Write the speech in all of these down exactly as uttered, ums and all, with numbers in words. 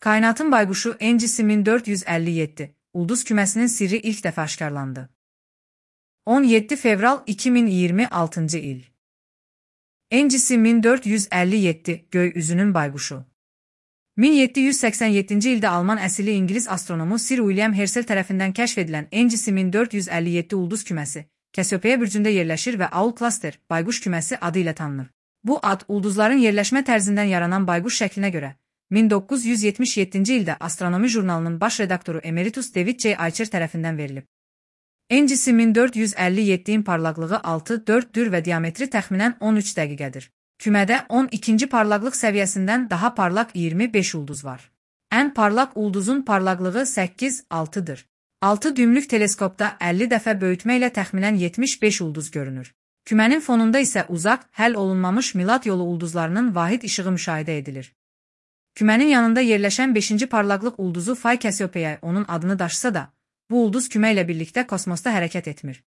Kainatın bayquşu N G C bin dörd yüz əlli yeddi, ulduz küməsinin sirri ilk dəfə aşkarlandı. on yeddi fevral iki min iyirmi altıncı il. N G C bin dörd yüz əlli yeddi, göy üzünün bayquşu. min yeddi yüz səksən yeddinci ildə Alman əsilli İngilis astronomu Sir William Herschel tərəfindən kəşf edilən N G C bin dörd yüz əlli yeddi ulduz küməsi, Kassiopeia bürcündə yerləşir və Owl Cluster, bayquş küməsi adı ilə tanınır. Bu ad, ulduzların yerləşmə tərzindən yaranan bayquş şəklinə görə, min doqquz yüz yetmiş yeddinci ildə Astronomi jurnalının baş redaktoru Emeritus David J. Eicher tərəfindən verilib. N G C bin dörd yüz əlli yeddinin parlaqlığı altı dörddür və diametri təxminən on üç dəqiqədir. Kümədə on ikinci parlaqlıq səviyyəsindən daha parlaq iyirmi beş ulduz var. Ən parlaq ulduzun parlaqlığı səkkiz altıdır. altı düymlük teleskopda əlli dəfə böyütmə ilə təxminən yetmiş beş ulduz görünür. Kümənin fonunda isə uzaq, həll olunmamış Milad yolu ulduzlarının vahid işığı müşahidə edilir. Kümənin yanında yerləşən beşinci parlaqlıq ulduzu Phi Cassiopeiae onun adını daşısa da, bu ulduz kümə ilə birlikdə kosmosda hərəkət etmir.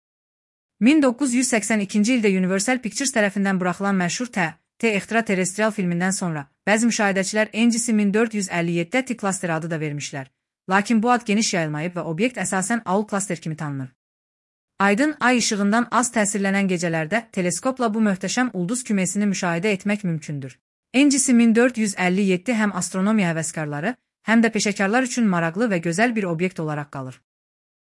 min doqquz yüz səksən ikinci ildə Universal Pictures tərəfindən buraxılan məşhur T. T. Extraterrestrial filmindən sonra, bəzi müşahidəçilər N G C bin dörd yüz əlli yeddi T Cluster adı da vermişlər. Lakin bu ad geniş yayılmayıb və obyekt əsasən Owl Cluster kimi tanınır. Aydın ay işığından az təsirlənən gecələrdə teleskopla bu möhtəşəm ulduz küməsini müşahidə etmək mümkündür. N G C bin dörd yüz əlli yeddi həm astronomiya həvəskarları, həm də peşəkarlar üçün maraqlı və gözəl bir obyekt olaraq qalır.